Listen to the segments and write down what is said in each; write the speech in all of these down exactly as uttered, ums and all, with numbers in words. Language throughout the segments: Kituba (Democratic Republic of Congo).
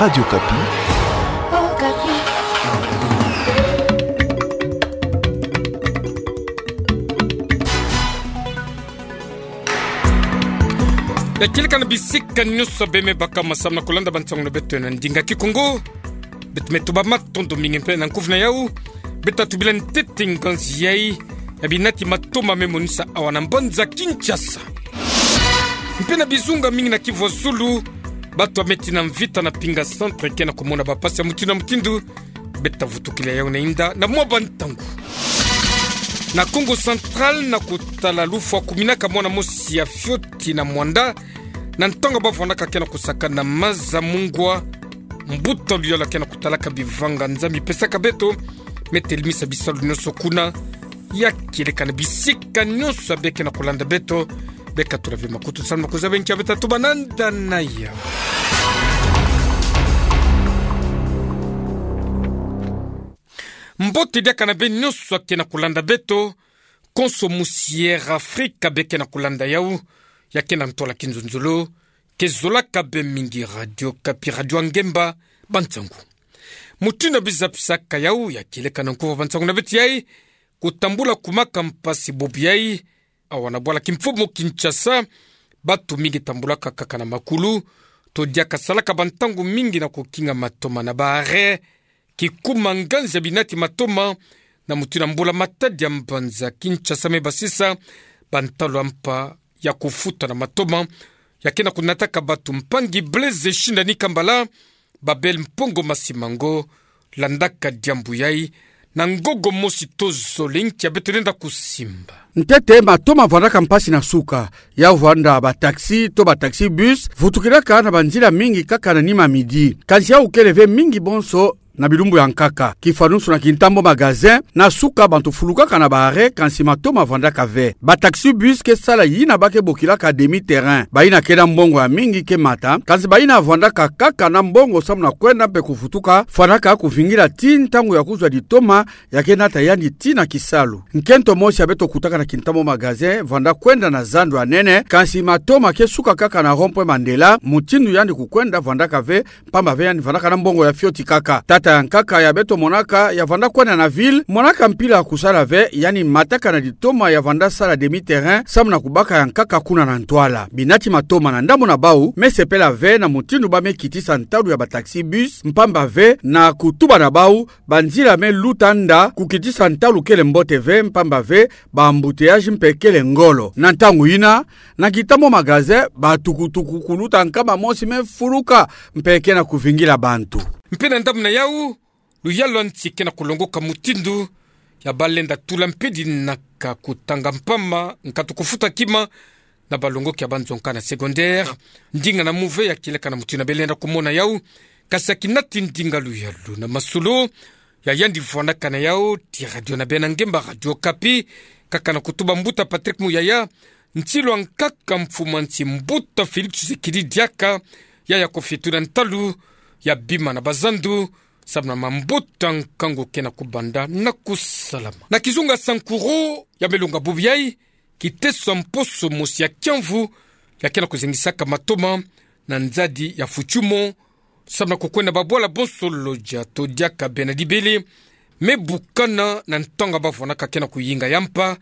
Radio Okapi. Ya kieleka na bisika nyonso beme baka masamu na kolanda bansangu na beto na ndinga Kikongo. Beto me tuba matondo mingi mpe na nkufi na yau. Beto tubila ntete nganzi yai ya binati matoma me monisa awa na mbanza Kinshasa. Mpe na bizunga mingi na Kivu ya Zulu, bato bame tina mvita na Pinga Centre ke na kumona bapasi ya mutindu na mutindu. Beto tavutukila yau na inda na mwa bantangu. Na Kongo Central, na kutala lufwa kuminaka mwana mosi ya fioti na Muanda, na ntangu bavwandaka ke na kusakana na maza, mungwa mbuta luyalu ke na kutalaka bivanga-nza mipesaka beto, me telemisa bisalu nyonso kuna. Ya kieleka na bisika nyonso ya beke na kolanda beto, beka tula ve makutu samu na kuzaba nki ya beto tatuba na nda na yau. Mbote diaka na beno nyonso ya ke na kolanda beto, konso musi Air Afrique beke na kolanda yau, ya ke na ntwala kinzonzolo, ke zolaka be mingi Radio Okapi, radio ya ngemba, bansangu. Mutindu bizapisaka yau, ya kieleka na nkufi ya bansangu na beto yai, kutambula kumaka mpasi bobo yai. Awa na bwala kimfumu Kinshasa, bato mingi tambulaka kaka na makulu, to diaka salaka bantangu mingi na kukinga matoma na ba arrêt, kikuma nganzi ya binati matoma, na mutindu mbula-matadi ya mbanza Kinshasa me basisa bantalu ya mpa ya kufuta na matoma, ya ke na kunataka bato. Mpangi Blaise Shindani Kambala, Babel Mpongo Masimango, landaka diambu yai na ngogo mosi to zole. Nki ya beto lenda kusimba? Ntete matoma vwandaka mpasi na suka, ya vwanda ba taxi to ba taxi-bus vutukilaka na banzila mingi kaka na nima midi. Kansi yau kele ve mingi bonso na bilumbu ya nkaka. Kifanusu na kintambo magasin, na suka bantu fulukaka na ba arrêt, kansi matoma vwandaka ve. Ba taxi-bus ke sala yina ba ke bokilaka demi-terrain. Bayina ke na mbongo ya mingi ke mata, kansi bayina vwandaka kaka na mbongo samu na kwenda mpe kuvutuka, fwanaka kuvingila tii ntangu ya kuzwa ditoma, ya ke nata yandi tii na kisalu. Nkento mosi ya beto kutaka na kintambo magasin vwanda kwenda na zandu ya nene, kansi matoma ke suka kaka na rond-point Mandela, mutindu yandi kukwenda vwandaka ve, mpamba ve yandi vwandaka na mbongo ya fioti kaka. Tata ya nkaka ya beto monaka ya vwanda kwenda na ville, monaka mpila ya kusala ve, yandi mataka na ditoma ya vwanda sala demi-terrain, samu na kubaka ya nkaka kuna na ntwala. Binati matoma na ndambu na bau me sepela ve na mutindu ba me kitisa ntalu ya ba taxi-bus, mpamba ve na kutuba na bau, banzila me luta nda kukitisa ntalu kele mbote ve, mpamba ve ba embouteillage mpe kele ngolo. Na ntangu yina, na kintambo magasin, ba tukutuku kuluta nkama mosi me fuluka, mpe ke na kuvingila bantu. Mpe na ndambu na yau, luyalu ya nsi ke na kulongoka mutindu ya ba lenda tula mpe dinaka kutanga mpamba, nkatu kufuta kima, na balongoki ya banzonka na secondaire. Ndinga na muve ya kieleka na mutindu na beno lenda kumona yau, kansi ya kinati ndinga luyalu na masolo, ya yandi vwandaka na yau tii radio na beno ya ngemba Radio Okapi, kaka na kutuba mbuta Patrick Muyaya, nsilu ya nkaka mfumu ya nsi mbuta Félix Tshisekedi diaka, ya ya kofie tuna ntalu ya bima na bazandu, samu na mambuta nkangu ke na kubanda na kusalama. Na kizunga Sankuru ya me longa bubu yai, kiteso ya mposo mosi ya kiamvu, ya ke na kuzengisaka matoma na nzadi ya Futshimo, samu na kukwenda babwala bonso Lodja to diaka Beni-Ndibele, me bukana na ntangu ba vwandaka ke na kuyinga ya mpa,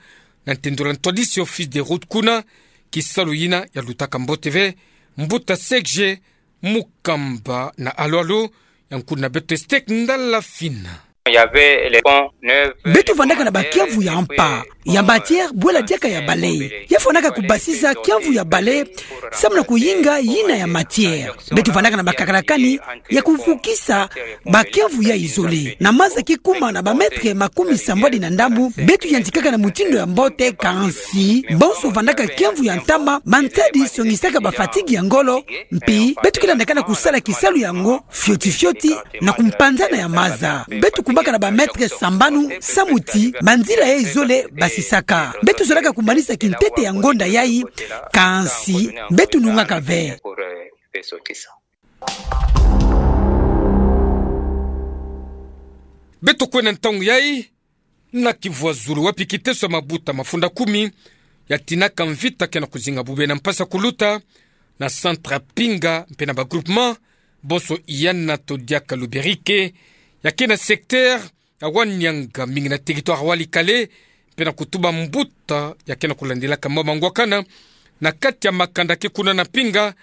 na ntendolo ya ntwadisi office de route kuna. Kisalu yina ya lutaka mbote ve, mbuta Serge Mukamba na Alu Alu, ya nkulu na beto Estek Ndala Fina. Il y avait les ponts neufs. Beto vandaka na ba kiamvu ya mpa, ya matière, bwela diaka ya bale. Ya fwanaka kubasisa kiamvu ya bale, samu na kuyinga yina ya matière. Beto vandaka na ba kakalakani ya kuvukisa ba kiamvu ya izole. Na maza ki kuma na ba mètres makumi sambwadi na ndambu, beto yantikaka na mutindu ya mbote, kansi bonso vandaka kiamvu ya ntama, mansadi songisaka ba fatigue ya ngolo, mpi beto ke landaka na kusala kisalu yango fioti fioti na kumpanzana ya maza. Beto kumaka na ba mètres sambanu, samu ti banzila ya izole basisaka. Beto zolaka kumanisa kintete ya ngonda yai, kansi beto nungaka ve. Beto kwenda ntangu yai na Kivu ya Zulu, wapi kiteso ya mabuta mafunda kumi ya tinaka mvita ke na kuzinga bubena mpasi ya kuluta na centre ya Pinga mpe na ba groupement, bonso i Ana to diaka Luberike, ya ke na secteur ya Wanianga, mingi na territoire Walikale, mpe na kutuba mbuta ya ke na kulandelaka mwa mangwakana na kati ya makanda ke kuna na mpinga,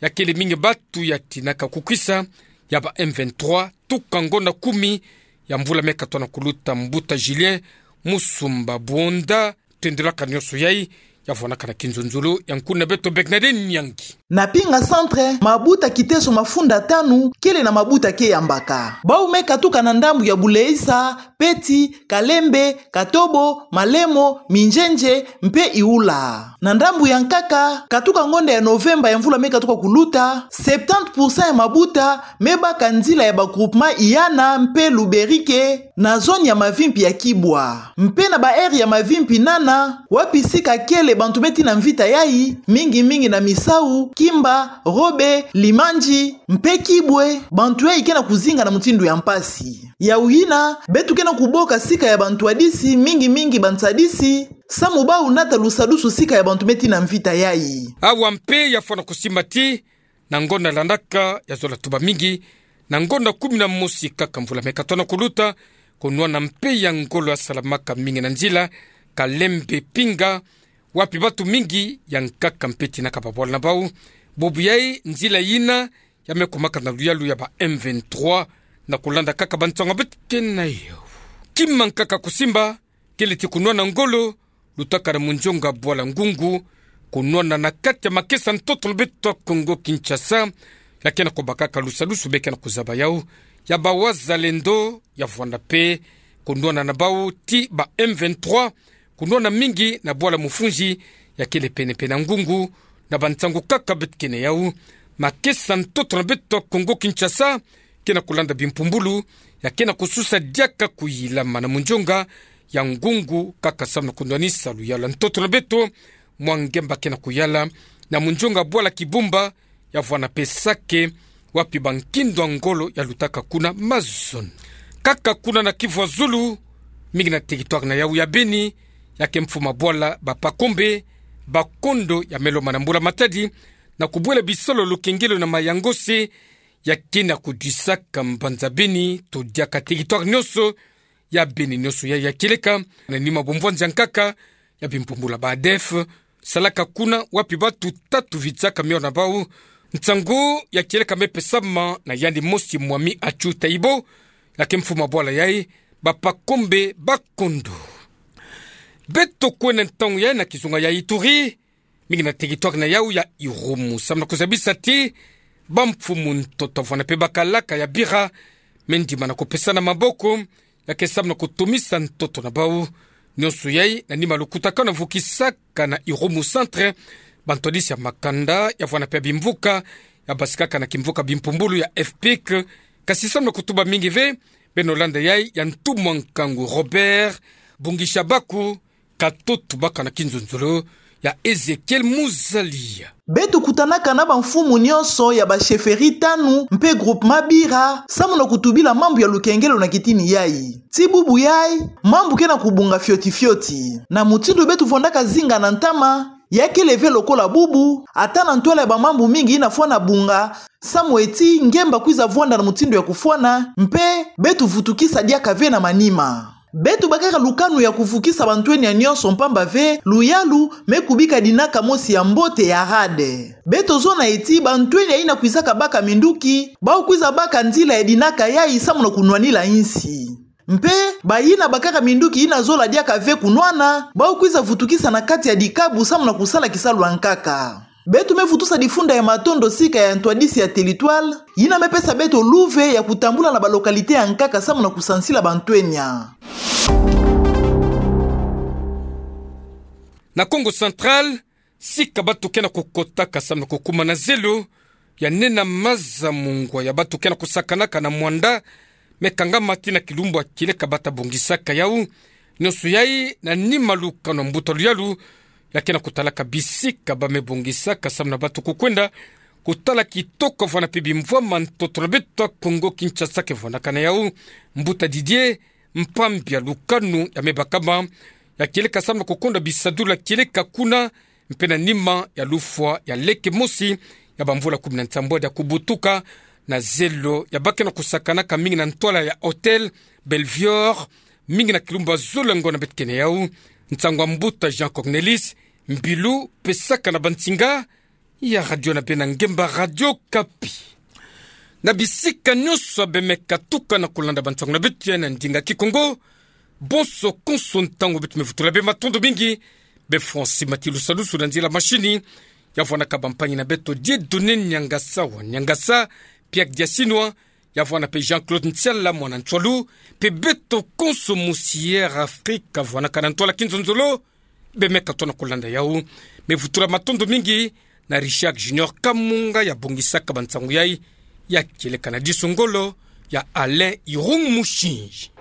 ya kele mingi batu ya tinaka kukwisa ya ba M vingt-trois, tuka ngonda kumi ya mvula me katono kuluta, mbuta Julien Musumba Buonda, tendela ka nionso yai, ya vwanaka na kinzonzolo ya nkuna beto Bernadette Nyangi. Na mpinga centre, mabuta Kiteso mafunda tanu kele na mabuta ke yambaka. Bau me katuka na ndambu ya Buleisa, Peti, Kalembe, Katobo, Malemo, Minjenje, mpe Iula. Na ndambu ya nkaka, katuka ngonda ya Novemba ya mvula me katuka kuluta, septante pour cent ya mabuta me baka nzila ya ba groupement Iana mpe Luberike na zone ya mavimpi ya Kibwa. Mpe na ba aire ya mavimpi nana, wapi sika kele bantu me tina mvita yai, mingi mingi na Misau, Kimba, Robe, Limanji, mpe Kibwe, bantu yai ke na kuzinga na mutindu ya mpasi. Yau yina, beto ke na kuboka sika ya bantwadisi, mingi mingi bansadisi, samu bau nata lusadusu sika ya bantu me tina mvita yai. Awa mpe ya fwana kusimba ti, na ngonda landaka ya zola tuba mingi, na ngonda kumi na mosi kaka mvula me katono kuluta, kunwana mpe ya ngolo ya salamaka mingi na nzila Kalembe Pinga, wapi batu mingi ya nkaka mpe tinaka babwala na bau. Bubu yai nzila yina ya me kumaka na luyalu ya ba M vingt-trois, na kulanda kaka bansango beto ke na yau. Kima nkaka kusimba, kele ti kunwana ngolo lutaka na munjonga bwala Ngungu, kunwana na kati ya makesa ntoto na beto Kongo Kinshasa, ya ke na kubakaka lusadusu be ke na kuzaba yau, ya ba Wazalendo, ya vwanda mpe kunwana na bau ti ba M vingt-trois, kunwana mingi na bwala Mufunzi, ya kele pene mpe na Ngungu, na bansango kaka beto ke na yau. Makesa ntoto na beto Kongo Kinshasa ke na kulanda bimpumbulu, ya ke na kususa diaka kuyilama na munjonga ya Ngungu, kaka samu na kunwanisa luyalu ya ntoto na beto mwa ngemba ke na kuyala na munjonga bwala Kibumba, ya vwana mpe Sake, wapi ba nkindo ya ngolo ya lutaka kuna mazono. Kaka kuna na Kivu ya Zulu, mingi na territoire na yau ya Beni, ya ke mfumu bwala ba Pakombe Bakondo ya me lomana mbula-matadi na kubwela bisalu lukengelo na mayangose, ya ke na kudisaka mbanza Beni to diaka territoire nionso ya Beni nionso yai ya kieleka, na nima bumvwanza nkaka ya bimpumbulu ba ADF, salaka kuna wapi batu tatu vitsaka miona bau. Nsangu ya kieleka me pesama na yandi mosi Mwami Achu Taibo, ya ke mfumu bwala yai ba Pakombe Bakondo. Beto kwenda ntangu yai na kizunga ya Ituri, mingi na territoire na yau ya Irumu, samu na kuzabisa ti bamfumu ntoto vwana mpe bakalaka ya bira me ndimana kupesana maboko, ya ke samu na kutumisa ntoto na bau. Nionso yai na nima lukutakanu vukisaka na Irumu Centre bantwadisi ya makanda ya vwana mpe bimvuka ya basikaka na kimvuka bimpumbulu ya FPIC. Kasi samu na kutuba mingi ve, beno landa yai ya ntumwa nkangu Robert Bungishabaku, katoto baka na kinzonzolo ya Ezekiel Muzalia. Beto kutanaka na bamfumu nionso ya ba chefferie tanu mpe groupement bira, samu na kutubila mambu ya lukengelo na kitini yai. Ti bubu yai, mambu ke na kubunga fioti fioti. Na mutindu beto vwandaka zinga na ntama, ya kele ve lokola bubu, ata na ntwala ya bamambu mingi yina fwana bunga, samu eti ngemba kwiza vwanda na mutindu ya kufwana, mpe beto vutukisa diaka ve na manima. Beto bakaka lukanu ya kuvukisa bantwenia nionso, mpamba ve luyalu me kubika dinaka mosi ya mbote ya rade. Beto zona eti bantwenia yina kwizaka baka minduki, bau kwiza baka nzila ya dinaka yai samu na kunwanila insi. Mpe bayina bakaka minduki yina zola diaka ve kunwana, bau kwiza vutukisa na kati ya dikabu samu na kusala kisalu ya nkaka. Beto me vutusa difunda ya matondo sika ya ntwadisi ya territoire, yina me pesa beto luve ya kutambula na ba localité ya nkaka samu na kusansila bantwenia. Na Kongo Central, sika batu ke na kukotaka samu na kukuma na zelo ya nena maza mungwa ya batu ke na kusakanaka na mwanda me kangama tii na kilumbu ya kieleka bata bongisaka yau. Nionso yai na nima lukanu ya mbuta luyalu ya ke na kutalaka bisika ba me bongisaka samu na batu kukwenda kutala kitoko vwana mpe bimvwama ntoto na beto Kongo Kinshasa ke vwandaka na yau. Mbuta Didier Mpambia, lukanu ya me bakama ya kieleka samu na kukonda bisadulu ya kieleka kuna, mpe na nima ya lufwa ya leke mosi ya bamvula kumi na nsambwadi ya kubutuka Na zelo ya bakeno kusakanaka mingi na ntwala ya Hôtel Belvior, mingi na kilumbu ya zolo ya ngoi na beto kene yau, nsangu ya mbuta Jean Cornelis Mbilu, pe saka na bansinga ya radio na bena ngemba Radio Okapi. Na bisika nyonso bemeka tukana kulanda bansangu na beto ya na ndinga Kikongo, bonso konso ntangu beto mevutula bê, matondo mingi. Bê Francis Matilusalusu na nzila machine, ya vwanaka bampangi na beto Dieudonné Niangasa wa Niangasa, Pierre Diasinwa, ya vwana pe Jean-Claude Ntiala mwana Ntswalu, pe beto konso musi Air Afrique vwanaka na ntwala kinzonzolo, bemeka tona kulanda yau. Mevutula matondo mingi na Richard Junior Kamunga ya bongisaka bansangu yai, ya kieleka na diso ngolo ya Alain Irung Musinzi.